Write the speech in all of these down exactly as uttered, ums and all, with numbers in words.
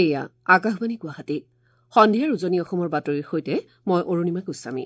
এয়া আকাশবাণী গুৱাহাটী। সন্ধিয়াৰ উজনি অসমৰ বাতৰিৰ সৈতে মই অৰুণিমা গোস্বামী।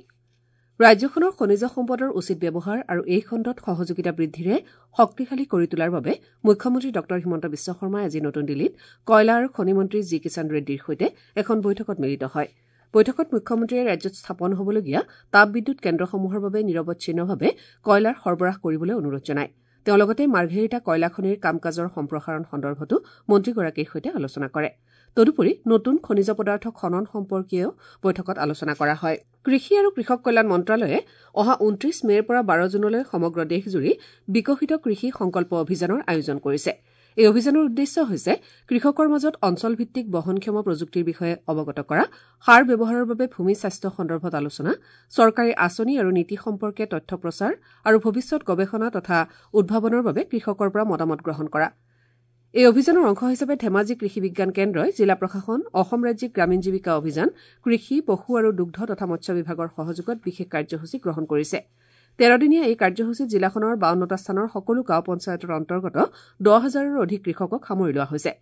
ৰাজ্যখনৰ খনিজ সম্পদৰ উচিত ব্যৱহাৰ আৰু এই খণ্ডত সহযোগিতা বৃদ্ধিৰে শক্তিশালী কৰি তোলাৰ বাবে মুখ্যমন্ত্ৰী ডঃ হিমন্ত বিশ্ব শৰ্মাই আজি নতুন দিল্লীত কয়লা আৰু খনি মন্ত্ৰী জি কিষাণ ৰেড্ডীৰ সৈতে এখন বৈঠকত মিলিত হয়। বৈঠকত মুখ্যমন্ত্ৰীয়ে ৰাজ্যত স্থাপন হ'বলগীয়া তাপবিদ্যুৎ কেন্দ্ৰসমূহৰ বাবে নিৰৱচ্ছিন্নভাৱে কয়লাৰ সৰবৰাহ কৰিবলৈ অনুৰোধ জনায়। তেওঁ লগতে মাৰ্ঘেৰিটা কয়লা খনিৰ কাম কাজৰ সম্প্ৰসাৰণ সন্দৰ্ভতো মন্ত্ৰীগৰাকীৰ সৈতে আলোচনা কৰে। তদুপৰি নতুন খনিজ পদাৰ্থ খনন সম্পৰ্কীয় বৈঠকত আলোচনা কৰা হয়। কৃষি আৰু কৃষক কল্যাণ মন্ত্ৰালয়ে অহা ঊনত্ৰিশ মে'ৰ পৰা বাৰ জুনলৈ সমগ্ৰ দেশজুৰি বিকশিত কৃষি সংকল্প অভিযানৰ আয়োজন কৰিছে। এই অভিযানৰ উদ্দেশ্য হৈছে কৃষকৰ মাজত অঞ্চলভিত্তিক বহনক্ষম প্ৰযুক্তিৰ বিষয়ে অৱগত কৰা, সাৰ ব্যৱহাৰৰ বাবে ভূমি স্বাস্থ্য সন্দৰ্ভত আলোচনা, চৰকাৰী আঁচনি আৰু নীতি সম্পৰ্কে তথ্য প্ৰচাৰ আৰু ভৱিষ্যত গৱেষণা তথা উদ্ভাৱনৰ বাবে কৃষকৰ পৰা মতামত গ্ৰহণ কৰা। এই অভিযানৰ অংশ হিচাপে ধেমাজি কৃষি বিজ্ঞান কেন্দ্ৰই জিলা প্ৰশাসন, অসম ৰাজ্যিক গ্ৰামীণ জীৱিকা অভিযান, কৃষি, পশু আৰু দুগ্ধ তথা মৎস্য বিভাগৰ সহযোগত বিশেষ কাৰ্যসূচী গ্ৰহণ কৰিছে। তেৰদিনীয়া এই কাৰ্যসূচীত জিলাখনৰ বাৱন্নটা স্থানৰ সকলো গাঁও পঞ্চায়তৰ অন্তৰ্গত দহ হাজাৰৰো অধিক কৃষকক সামৰি লোৱা হৈছে।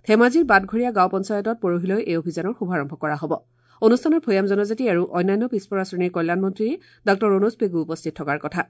ধেমাজিৰ বাটঘৰীয়া গাঁও পঞ্চায়তত পৰহিলৈ এই অভিযানৰ শুভাৰম্ভ কৰা হ'ব। অনুষ্ঠানত ভৈয়াম জনজাতি আৰু অন্যান্য পিছপৰা শ্ৰেণীৰ কল্যাণ মন্ত্ৰী ডাঃ ৰণোজ পেগু উপস্থিত থকাৰ কথা।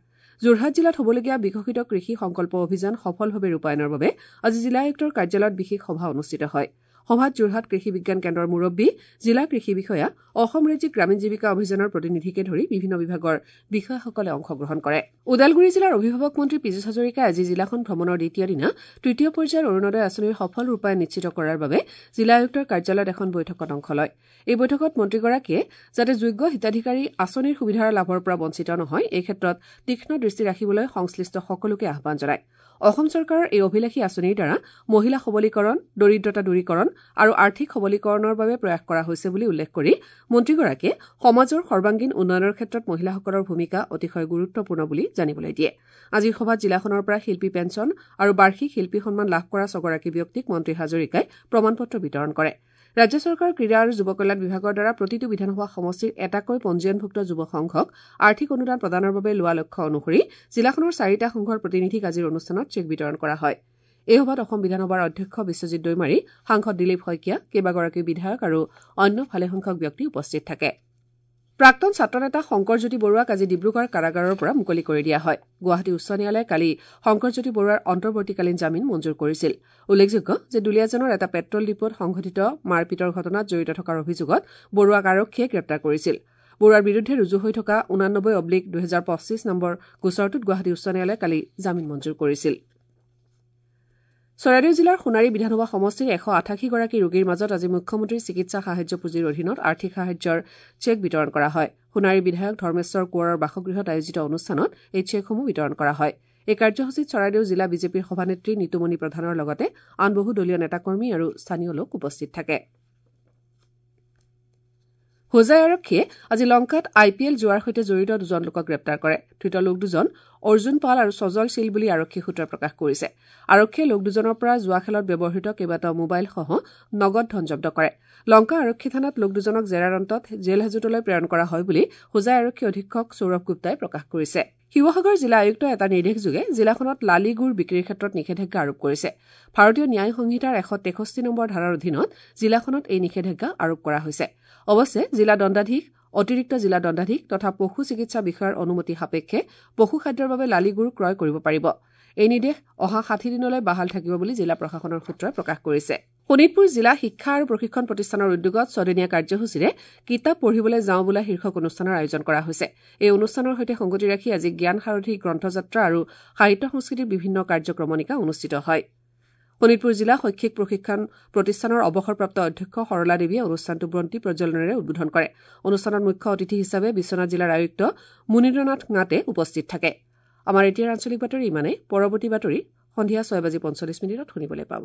যোৰহাট জিলাত হ'বলগীয়া বিকশিত কৃষি সংকল্প অভিযান সফলভাৱে ৰূপায়ণৰ বাবে আজি জিলা আয়ুক্তৰ কাৰ্যালয়ত বিশেষ সভা অনুষ্ঠিত হয়। সভাত যোৰহাট কৃষি বিজ্ঞান কেন্দ্ৰৰ মুৰব্বী, জিলা কৃষি বিষয়া, অসম ৰাজ্যিক গ্ৰামীণ জীৱিকা অভিযানৰ প্ৰতিনিধিকে ধৰি বিভিন্ন বিভাগৰ বিষয়াসকলে অংশগ্ৰহণ কৰে। ওদালগুৰি জিলাৰ অভিভাৱক মন্ত্ৰী পীযুষ হাজৰিকাই আজি জিলাখন ভ্ৰমণৰ দ্বিতীয় দিনা তৃতীয় পৰ্যায়ৰ অৰুণোদয় আঁচনিৰ সফল ৰূপায়ণ নিশ্চিত কৰাৰ বাবে জিলা আয়ুক্তৰ কাৰ্যালয়ত এখন বৈঠকত অংশ লয়। এই বৈঠকত মন্ত্ৰীগৰাকীয়ে যাতে যোগ্য হিতাধিকাৰী আঁচনিৰ সুবিধাৰ লাভৰ পৰা বঞ্চিত নহয় এই ক্ষেত্ৰত তীক্ষ্ণ দৃষ্টি ৰাখিবলৈ সংশ্লিষ্ট সকলোকে আহ্বান জনায়। অসম চৰকাৰৰ এই অভিলাষী আঁচনিৰ দ্বাৰা মহিলা সবলীকৰণ, দৰিদ্ৰতা দূৰীকৰণ আৰু আৰ্থিক সবলীকৰণৰ বাবে প্ৰয়াস কৰা হৈছে বুলি উল্লেখ কৰি মন্ত্ৰীগৰাকীয়ে সমাজৰ সৰ্বাংগীন উন্নয়নৰ ক্ষেত্ৰত মহিলাসকলৰ ভূমিকা অতিশয় গুৰুত্বপূৰ্ণ বুলি জানিবলৈ দিয়ে। আজিৰ সভাত জিলাখনৰ পৰা শিল্পী পেঞ্চন আৰু বাৰ্ষিক শিল্পী সন্মান লাভ কৰা ছগৰাকী ব্যক্তিক মন্ত্ৰী হাজৰিকাই প্ৰমাণপত্ৰ বিতৰণ কৰে। ৰাজ্য চৰকাৰৰ ক্ৰীড়া আৰু যুৱ কল্যাণ বিভাগৰ দ্বাৰা প্ৰতিটো বিধানসভা সমষ্টিৰ এটাকৈ পঞ্জীয়নভুক্ত যুৱ সংঘক আৰ্থিক অনুদান প্ৰদানৰ বাবে লোৱা লক্ষ্য অনুসৰি জিলাখনৰ চাৰিটা সংঘৰ প্ৰতিনিধিক আজিৰ অনুষ্ঠানত চেক বিতৰণ কৰা হয়। এই সভাত অসম বিধানসভাৰ অধ্যক্ষ বিশ্বজিৎ দৈমাৰী, সাংসদ দিলীপ শইকীয়া, কেইবাগৰাকীও বিধায়ক আৰু অন্য ভালেসংখ্যক ব্যক্তি উপস্থিত থাকে। প্ৰাক্তন ছাত্ৰনেতা শংকৰজ্যোতি বৰুৱাক আজি ডিব্ৰুগড় কাৰাগাৰৰ পৰা মুকলি কৰি দিয়া হয়। গুৱাহাটী উচ্চ ন্যায়ালয়ে কালি শংকৰজ্যোতি বৰুৱাৰ অন্তৰ্বৰ্তীকালীন জামিন মঞ্জুৰ কৰিছিল। উল্লেখযোগ্য যে দুলীয়াজানৰ এটা পেট্ৰল ডিপোত সংঘটিত মাৰপিটৰ ঘটনাত জড়িত থকাৰ অভিযোগত বৰুৱাক আৰক্ষীয়ে গ্ৰেপ্তাৰ কৰিছিল। বৰুৱাৰ বিৰুদ্ধে ৰুজু হৈ থকা ঊনানব্বৈ অব্লিক দুহেজাৰ পঁচিছ নম্বৰ গোচৰটোত গুৱাহাটী উচ্চ ন্যায়ালয়ে কালি জামিন মঞ্জুৰ কৰিছিল। চৰাইদেউ জিলাৰ সোণাৰী বিধানসভা সমষ্টিৰ এশ আঠাশীগৰাকী ৰোগীৰ মাজত আজি মুখ্যমন্ত্ৰীৰ চিকিৎসা সাহায্য পুঁজিৰ অধীনত আৰ্থিক সাহায্যৰ চেক বিতৰণ কৰা হয়। সোণাৰী বিধায়ক ধৰ্মেশ্বৰ কোঁৱৰৰ বাসগৃহত আয়োজিত অনুষ্ঠানত এই চেকসমূহ বিতৰণ কৰা হয়। এই কাৰ্যসূচীত চৰাইদেউ জিলা বিজেপিৰ সভানেত্ৰী নিতুমণি প্ৰধানৰ লগতে আন বহু দলীয় নেতাকৰ্মী আৰু স্থানীয় লোক উপস্থিত থাকে। হোজাই আৰক্ষীয়ে আজি লংকাত আই পি এল জুৱাৰ সৈতে জড়িত দুজন লোকক গ্ৰেপ্তাৰ কৰে। ধৃত লোক দুজন অৰ্জুন পাল আৰু সজল শীল বুলি আৰক্ষী সূত্ৰই প্ৰকাশ কৰিছে। আৰক্ষীয়ে লোক দুজনৰ পৰা জুৱা খেলত ব্যৱহৃত কেইবাটাও মোবাইলসহ নগদ ধন জব্দ কৰে। লংকা আৰক্ষী থানাত লোক দুজনক জেৰাৰ অন্তত জেল হাজোতলৈ প্ৰেৰণ কৰা হয় বুলি হোজাই আৰক্ষী অধীক্ষক সৌৰভ গুপ্তাই প্ৰকাশ কৰিছে। শিৱসাগৰ জিলা আয়ুক্তই এটা নিৰ্দেশযোগে জিলাখনত লালি গুৰ বিক্ৰীৰ ক্ষেত্ৰত নিষেধাজ্ঞা আৰোপ কৰিছে। ভাৰতীয় ন্যায় সংহিতাৰ এশ তেষষ্ঠি নম্বৰ ধাৰাৰ অধীনত জিলাখনত এই নিষেধাজ্ঞা আৰোপ কৰা হৈছে। অৱশ্যে জিলা দণ্ডাধীশ, অতিৰিক্ত জিলা দণ্ডাধীশ তথা পশু চিকিৎসা বিষয়াৰ অনুমতি সাপেক্ষে পশু খাদ্যৰ বাবে লালি গুৰ ক্ৰয় কৰিব পাৰিব। এই নিৰ্দেশ অহা ষাঠি দিনলৈ বাহাল থাকিব বুলি জিলা প্ৰশাসনৰ সূত্ৰই প্ৰকাশ কৰিছে। শোণিতপুৰ জিলা শিক্ষা আৰু প্ৰশিক্ষণ প্ৰতিষ্ঠানৰ উদ্যোগত ছদিনীয়া কাৰ্যসূচীৰে কিতাপ পঢ়িবলৈ যাওঁ বোলা শীৰ্ষক অনুষ্ঠানৰ আয়োজন কৰা হৈছে। এই অনুষ্ঠানৰ সৈতে সংগতি ৰাখি আজি জ্ঞান সাৰথি গ্ৰন্থযাত্ৰা আৰু সাহিত্য সংস্কৃতিৰ বিভিন্ন কাৰ্যক্ৰমণিকা অনুষ্ঠিত হয়। শোণিতপুৰ জিলা শৈক্ষিক প্ৰশিক্ষণ প্ৰতিষ্ঠানৰ অৱসৰপ্ৰাপ্ত অধ্যক্ষ সৰলা দেৱীয়ে অনুষ্ঠানটো বন্তি প্ৰজ্বলনেৰে উদ্বোধন কৰে। অনুষ্ঠানত মুখ্য অতিথি হিচাপে বিশ্বনাথ জিলাৰ আয়ুক্ত মুনীন্দ্ৰনাথ ঙাটে উপস্থিত থাকে। আমাৰ এতিয়াৰ আঞ্চলিক বাতৰি ইমানেই। পৰৱৰ্তী বাতৰি সন্ধিয়া ছয় বাজি পঞ্চল্লিছ মিনিটত শুনিবলৈ পাব।